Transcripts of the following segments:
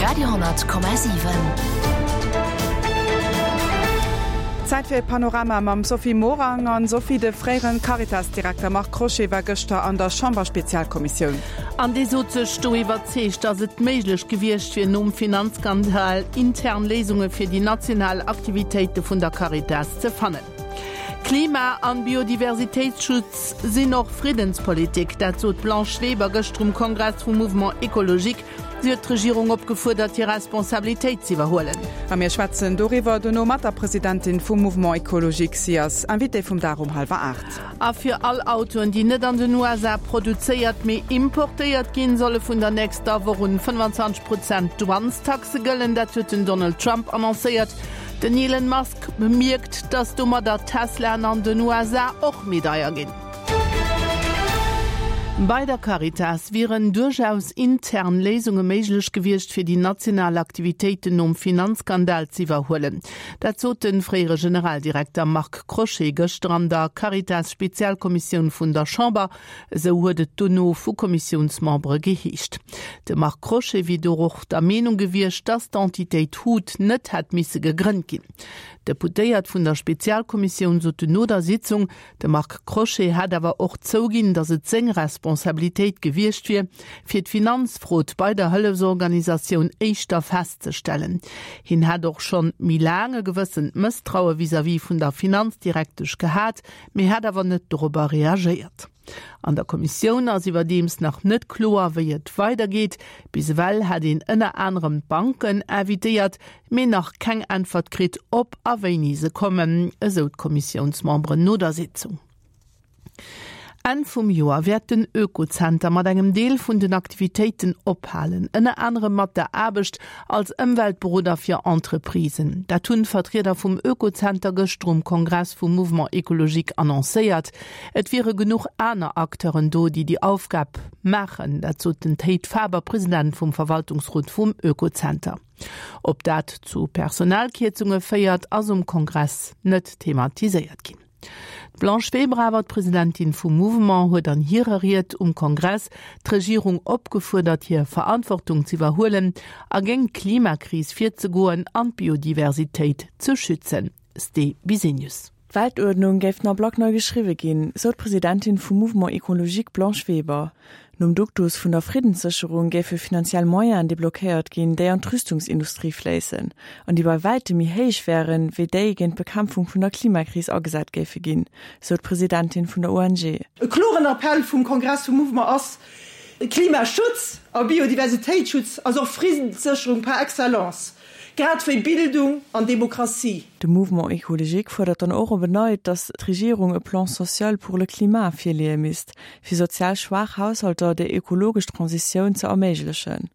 Radio,7. Zäit fir e Panorama mam Sophie Morang. An Sophie, de fréieren Caritas-Direkter Marc Crochet war gëschter an der Chamberspezialkommissioun. An dee sot sech do iwwerzeegt, datt et méiglech gewiescht wier, nom Finanzskandal intern Léisunge fir déi national Aktivitéite vun der Caritas ze fannen. Klima an Biodiversitéitsschutz sinn och Friddenspolitik, dat sot d'Blanche Weber gëschter um Kongress vum Mouvement Ecologique. Si huet d'Regierung opgefuerdert, hir Responsabilitéit z'iwwerhuelen. A mir schwätzen doriwwer dono mat der Presidentin vum Mouvement Ecologique. Si ass Invitée vum Dag um hallwer 8. A fir all Autoen, déi net an den USA produzéiert, mee importéiert ginn, solle vun der nächster Woch un 25 Prozent Douanestaxe gëllen. Dat huet den Donald Trump annoncéiert. Den Elon Musk bemierkt, dass domadder Teslaen an den USA och méi deier ginn. Bei der Caritas wieren duerchaus intern Léisunge méiglech gewiescht, fir déi national Aktivitéiten nom Finanzskandal z'iwwerhuelen. Dat sot de fréiere Generaldirekter Marc Crochet gëschter an der Caritas-Spezialkommissioun vun der Chamber. Esou huet et dono vu Kommissiounsmembere geheescht. De Marc Crochet wier do och der Meenung gewiescht, datt d'Entitéit hut net hätt misse gegrënnt ginn. D'Deputéiert vun der Spezialkommissioun soten no der Sitzung, de Marc Crochet hätt awer och zouginn, datt et seng Responsabilitéit gewiescht wier, fir d'Finanzfrod bei der Hëllefsorganisatioun éischter festzestellen. Hien hätt och schonn méi laang e gewëssent Mësstraue vis-à-vis vun der Finanzdirektesch gehat, mee hätt awer net dorobber reagéiert. An der Kommissioun ass iwwerdeems nach net kloer, wéi et weidergeet. Bis ewell hätt een ënner anerem d'Banken invitéiert, mee nach keng Äntwert kritt, ob a wéini se kommen, esou d'Kommissiounsmemberen no der Sitzung. Enn vum Joer wäert den Oekozenter mat engem Deel vun den Aktivitéiten ophalen, ënner anerem mat der Aarbecht als Ëmweltberoder fir Entreprisen. Dat hunn d'Vertrieder vum Oekozenter gëschter um Kongress vum Mouvement Ecologique annoncéiert. Et wiere genuch aner Acteuren do, déi déi Aufgab maachen. Dat sot den Théid Faber, President vum Verwaltungsrot vum Oekozenter. Ob dat zu Personalkierzunge féiert, ass um Kongress net thematiséiert ginn. D'Blanche Weber awer, d'Presidentin vum Mouvement, huet an hirer Ried um Kongress d'Regierung opgefuerdert, hir Verantwortung z'iwwerhuelen a géint d'Klimakris virzegoen an d'Biodiversitéit ze schützen. Ste Bisenius. D'Weltuerdnung géif den Ablack nei geschriwwe ginn, sou d'Presidentin vum Mouvement Ecologique Blanche Weber. Nom Duktus vun der Friddenssécherung géife finanziell Moyenen deblockéiert ginn, déi an d'Rüstungsindustrie fléissen, an déi bei wäitem méi héich wären, wéi déi géint d'Bekämpfung vun der Klimakris agesat géife ginn, sou d'Presidentin vun der ONG. E kloren Appell vum Kongress vum Mouvement ass, Klimaschutz a Biodiversitéitsschutz ass och Friddenssécherung par excellence. Grad wéi Bildung an Demokratie. De Mouvement Ecologique fuerdert dann och op en Neit, datt d'Regierung e Plan social pour le climat virleeë misst, fir sozial schwaach Haushalter déi ökologesch Transitioun ze erméiglechen.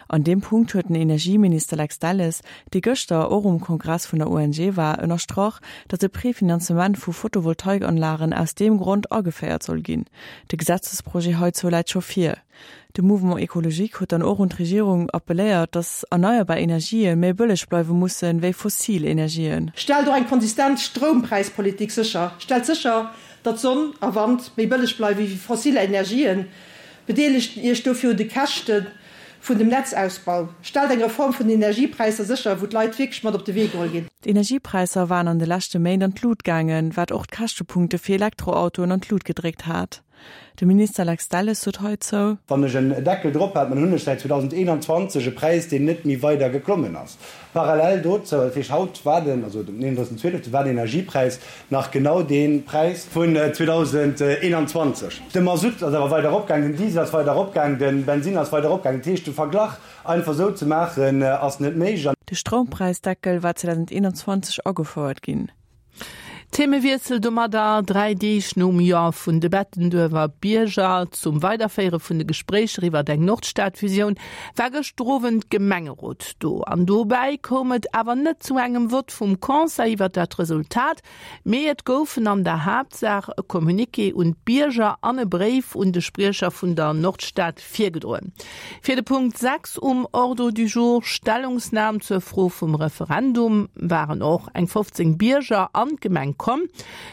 An deem Punkt huet den Energieminister Lex Delles, dee gëschter och um Kongress vun der ONG war, ënnerstrach, datt e Prefinanzement vu Photovoltaikanlagen aus deem Grond ageféiert soll ginn. De Gesetzesprojet heizou läit scho vir. De Mouvement Ecologique huet dann och un d'Regierung appelléiert, datt erneierbar Energië méi bëlleg bleiwe mussen, wéi fossil Energien. Stellt och eng konsistent Stroumpräispolitik sécher. Stellt sécher, datt Sonn a Wand méi bëlleg bleiwe wéi fossil Energien. Bedeelegt Iech dofir un de Käschte vun dem Netzausbau. Stellt eng Reform vun den Energiepräisser sécher, wou d'Leit wierklech mat op de Wee geholl ginn. D'Energiepräisser waren an de leschte Méint an d'Lut gaangen, wat och d'Käschtepunkte fir Elektroautoen an d'Lut gedréckt hat. De Minister Lex Delles sot heizou. Wann ech en Deckel drop hat, dann hunn ech säit 2021 e Präis, deen net méi weider geklommen ass. Parallel dozou, dat heescht haut war den, also den 31.12. war den Energiepräis nach genau dee Präis vun 2021. De Masutt ass awer weider eropgaangen, den Diesel ass weider eropgaangen, de Bensinn ass weider eropgaangen. Dat heescht, de Verglach einfach esou ze maachen, ass net méiglech. De Stroumpräisdeckel war 2021 agefouert ginn. Themewiessel domadder, 3 Deeg nom Jo vun de Bettenduerfer Bierger zum Weiderféiere vun de Gespréicher iwwert eng Nordstadfusioun war gëschter Owend Gemengerot do. An dobäi koum et awer net zu engem Vott vum Conseil iwwert dat Resultat, mee et goufen an der Haaptsaach e Communiqué un d'Bierger an e Bréif un de Spriecher vun der Nordstad virgedroen. Fir de Punkt 6 um Ordre du jour, Stellungsnam zur Fro vum Referendum, waren och eng 15 Bierger an d'Gemeng komm.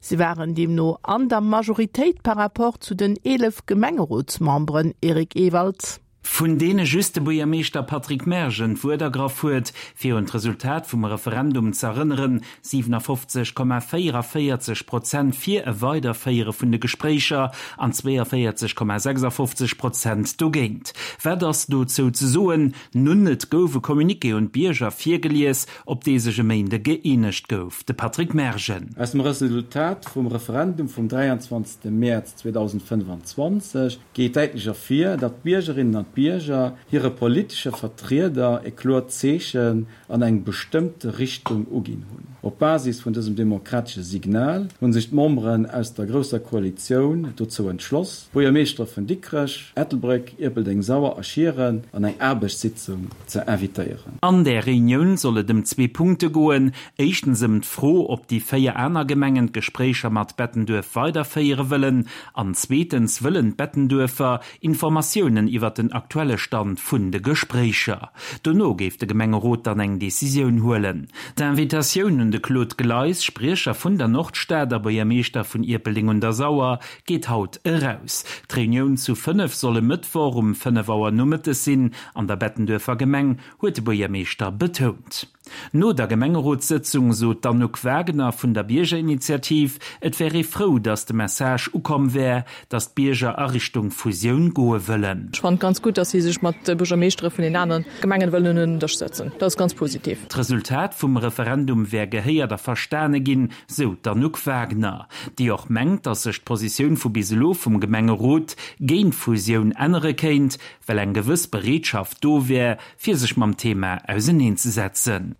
Si waren deemno an der Majoritéit par rapport zu den 11 Gemengerotsmemberen. Eric Ewald. Vun deene just de Buergermeeschter Patrick Mergen d'Wuert ergraff huet, fir un d'Resultat vum Referendum z'erënneren, 57,44 Prozent fir e Weiderféiere vun de Gespréicher an 42,56 Prozent dogéint. Wat ass dozou ze soen? Nun, et gouf e Communiqué un d'Bierger virgelies, op dee sech e Méinde gëeenegt gouf. De Patrick Mergen. Aus dem Resultat vum Referendum vum 23 Mäerz 2025 geet däitlech ervir, datt d'Biergerinnen an d'Bierger hire politesche Vertrieder e kloert Zeechen an eng bestëmmte Richtung uginn hunn. Op Basis vun dësem demokratesche Signal hu sech d'Memberen aus der Grousser Koalitioun dozou entschloss, d'Buergermeeschtere vun Dikrech, Ettelbréck, Ierpeldeng, Sauer a Schieren an eng Aarbechtssitzung ze invitéieren. An där Reunioun soll et ëm zwee Punkte goen, éischtens ëm d'Fro, ob déi 4 aner Gemengen d'Gespréicher mat Bettenduerf weiderféiere wëllen, an zweetens wëllen d'Bettenduerfer Informatiounen iwwer den aktuelle Stand vun de Gespréicher. Dono géif de Gemengerot dann eng Decisioun huelen. D'Invitatioun un de Claude Gleis, Spriecher vun der Nordstad a Buergermeeschter vun Ierpeldeng un der Sauer, geet haut eraus. D'Reunioun zu 5 soll e Mëttwoch um 5 Auer nomëttes sinn an der Bettenduerfer Gemeng, huet de Buergermeeschter betount. No der Gemengerotssëtzung sot d'Anouk Wagener vun der Biergerinitiativ, et wär ee frou, datt de Message ukomm wär, datt d'Bierger a Richtung Fusioun goe wëllen. Ech fannen et ganz gutt, datt si sech mat de Buergermeeschtere vun den aneren Gemengen wëllen un en Dësch sëtzen. Dat ass ganz positiv. D'Resultat vum Referendum wär gehéiert a verstane ginn, sou d'Anouk Wagener, déi och mengt, datt sech d'Positioun vu bis elo vum Gemengerot géint d'Fusioun ännere kéint, well eng gewëss Bereetschaft do wär, fir sech mam Thema auserneenzesetzen.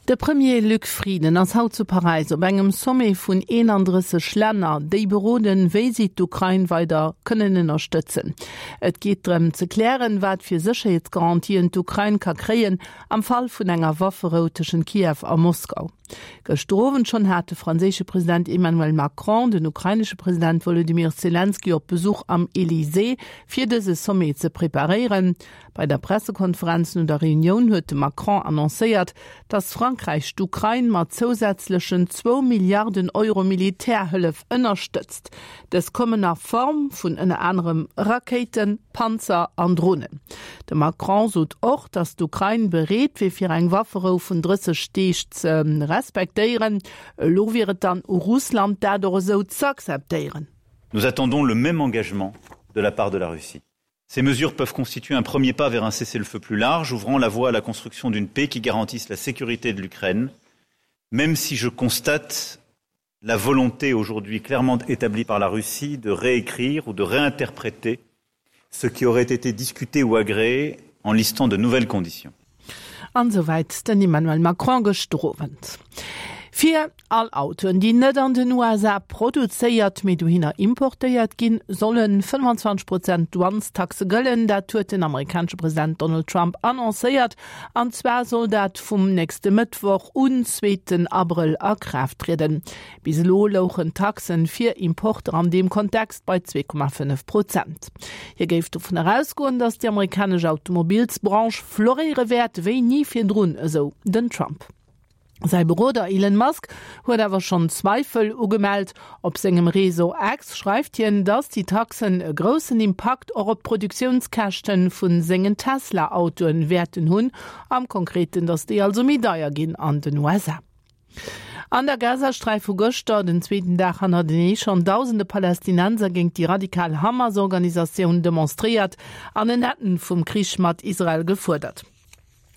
De Premier Luc Frieden ass haut zu Paräis op engem Sommet vun 31 Länner, déi beroden, wéi si d'Ukrain weider kënnen ënnerstëtzen. Et geet drëm ze klären, wat fir Sécherheetsgarantien d'Ukrain ka kréien am Fall vun enger Wafferou tëschent Kiew a Moskau. Gëschter Owend schonn hat de franséische President Emmanuel Macron den ukrainesche President Wolodymyr Selenskyj op Besuch am Elysée, fir dëse Sommet ze preparéieren. Bei der Pressekonferenz no der Reunioun huet de Macron annoncéiert, datt Frankräich d'Ukrain mat zousätzlechen zwou Milliarden Euro Militärhëllef ënnerstëtzt. Dës kommen a Form vun ënner anerem Rakéiten, Panzer an Dronen. De Macron sot och, datt d'Ukrain bereet wier fir eng Wafferou vun 30 Deeg ze respektéieren. Elo wier et dann u Russland, dat och esou z'akzeptéieren. Nous attendons le même engagement de la part de la Russie. Ces mesures peuvent constituer un premier pas vers un cessez-le-feu plus large, ouvrant la voie à la construction d'une paix qui garantisse la sécurité de l'Ukraine, même si je constate la volonté aujourd'hui clairement établie par la Russie de réécrire ou de réinterpréter ce qui aurait été discuté ou agréé en listant de nouvelles conditions. An esouwäit den Emmanuel Macron gëschter Owend. Fir all Autoen, déi net an den USA produzéiert, mee dohinner importéiert ginn, solle 25 Prozent Douanestaxe gëllen. Dat huet den amerikanesche President Donald Trump annoncéiert. An zwar soll dat vum nächste Mëttwoch un, zweeten Abrëll, a Kraaft trieden. Bis elo louchen d'Taxen fir Importer an deem Kontext bei 2,5 Prozent. Hie géif dovun erausgoen, datt déi amerikanesch Automobilsbranche floréiere wäert wéi ni virdrun, esou den Trump. Säi Beroder Elon Musk huet awer schonn Zweifel ugemellt. Op sengem Réseau X schreift hien, datt déi Taxen e groussen Impakt och op d'Produktiounskäschte vu sengen Tesla-Autoen wäerten hunn, am Konkreten, datt déi also méi deier ginn an den USA. An der Gazasträif hu gëschter, den zweeten Dag hannertenee, schonn dausende Palästinenser géint déi radikal Hamas-Organisatioun demonstréiert an en Enn vum Krich mat Israel gefuerdert.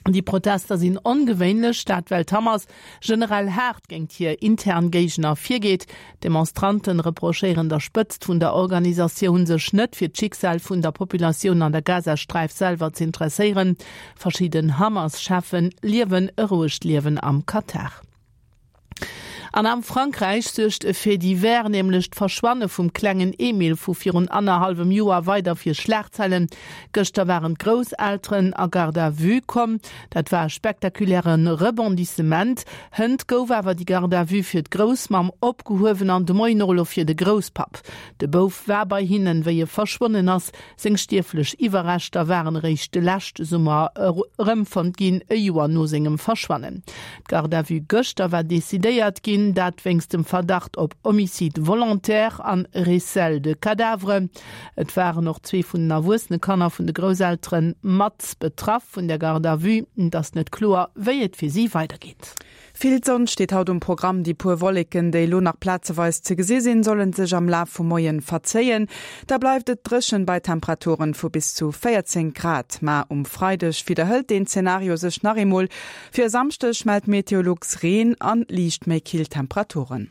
Déi Protester sinn ongewéinlech, dat well d'Hamas generell haart géint hir intern Géigner virgeet. D'Demonstranten reprochéieren der Spëtzt vun der Organisatioun, sech net fir d'Schicksal vun der Populatioun an der Gazasträif selwer z'interesséieren. Verschidden Hamas-Cheffen liewen e rouegt Liewen am Katar. An am Frankräich suergt e Fait divers, nämlech d'Verschwanne vum klengen Emil vu virun annerhallwem Joer, weider fir Schlagzeilen. Gëschter waren d'Grousselteren a Garde à vue komm. Dat war e spektakuläre Rebondissement. Hënt gouf awer déi Garde à vue fir d'Groussmamm opgehuewen an de Moien och elo fir de Grousspapp. De Bouf war bei hinnen, wéi e verschwonnen ass. Seng stierflech Iwwerreschter waren eréischt de leschte Summer erëmfonnt ginn, e Joer no sengem Verschwannen. D'Garde à vue gëschter war decidéiert ginn. ginn, dat wéinst dem Verdacht op Homicide volontaire an Recel de cadavre. Et waren och zwee vun den erwuessene Kanner vun de Grousseltere mat betraff vun der Garde à vue. Et ass net kloer, wéi et fir si weidergeet. Vill Sonn steet haut um Programm, déi puer Wolleken, déi elo nach plazeweis ze gesi sinn, solle sech am Laf vum Moien verzéien. Da bleift et dréchen bei Temperaturen vu bis zu 14 Grad. Ma um Freideg widderhëlt deen Zenario sech nach eemol. Fir e Samschdeg mellt Meteolux Reen an liicht méi kill Temperaturen.